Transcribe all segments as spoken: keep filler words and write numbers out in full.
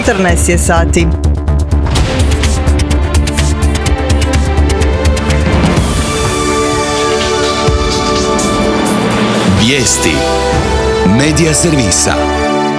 četrnaest je sati. Vijesti Medija servisa.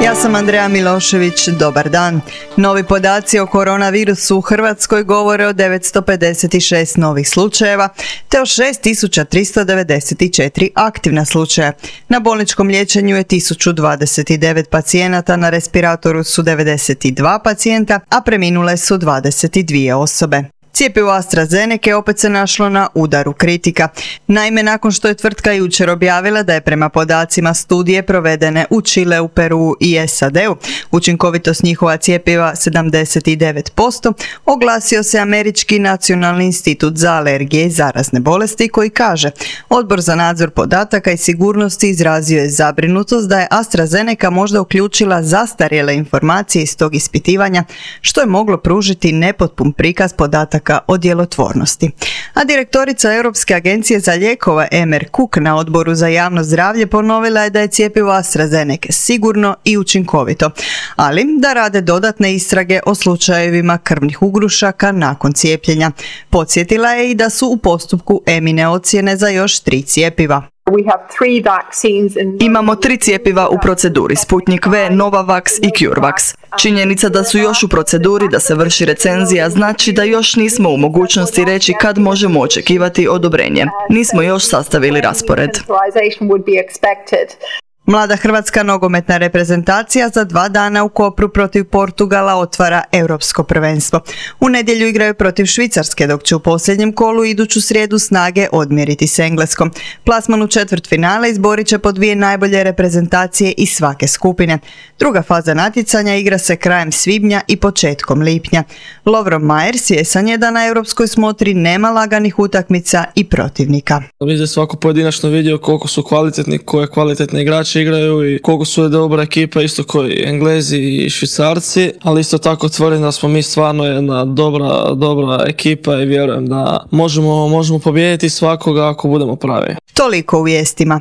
Ja sam Andreja Milošević, dobar dan. Novi podaci o koronavirusu u Hrvatskoj govore o devetsto pedeset šest novih slučajeva te o šest tisuća tristo devedeset četiri aktivna slučaja. Na bolničkom liječenju je tisuću dvadeset devet pacijenata, na respiratoru su devedeset dva pacijenta, a preminule su dvadeset dvije osobe. Cjepivo AstraZeneca opet se našlo na udaru kritika. Naime, nakon što je tvrtka jučer objavila da je prema podacima studije provedene u Čileu, Peruu i S A D-u učinkovitost njihova cjepiva sedamdeset devet posto, oglasio se Američki nacionalni institut za alergije i zarazne bolesti koji kaže: Odbor za nadzor podataka i sigurnosti izrazio je zabrinutost da je AstraZeneca možda uključila zastarjele informacije iz tog ispitivanja, što je moglo pružiti nepotpun prikaz podataka o djelotvornosti. A direktorica Europske agencije za lijekove Emer Cook na Odboru za javno zdravlje ponovila je da je cjepivo AstraZeneca sigurno i učinkovito, ali da rade dodatne istrage o slučajevima krvnih ugrušaka nakon cijepljenja. Podsjetila je i da su u postupku EMA-ine ocjene za još tri cjepiva. Imamo tri cjepiva u proceduri, Sputnik V, Novavax i CureVac. Činjenica da su još u proceduri da se vrši recenzija znači da još nismo u mogućnosti reći kad možemo očekivati odobrenje. Nismo još sastavili raspored. Mlada hrvatska nogometna reprezentacija za dva dana u Kopru protiv Portugala otvara europsko prvenstvo. U nedjelju igraju protiv Švicarske, dok će u posljednjem kolu iduću srijedu snage odmjeriti s Engleskom. Plasman u četvrtfinale izborit će po dvije najbolje reprezentacije iz svake skupine. Druga faza natjecanja igra se krajem svibnja i početkom lipnja. Lovro Majer svjesan je da na europskoj smotri nema laganih utakmica i protivnika. Mislim da svako pojedinačno vidio koliko su kvalitetni, koje kvalitetne igrače igraju i koliko su je dobra ekipa, isto koji Englezi i Švicarci, ali isto tako tvrdim da smo mi stvarno jedna dobra, dobra ekipa i vjerujem da možemo, možemo pobijediti svakoga ako budemo pravi. Toliko u vijestima.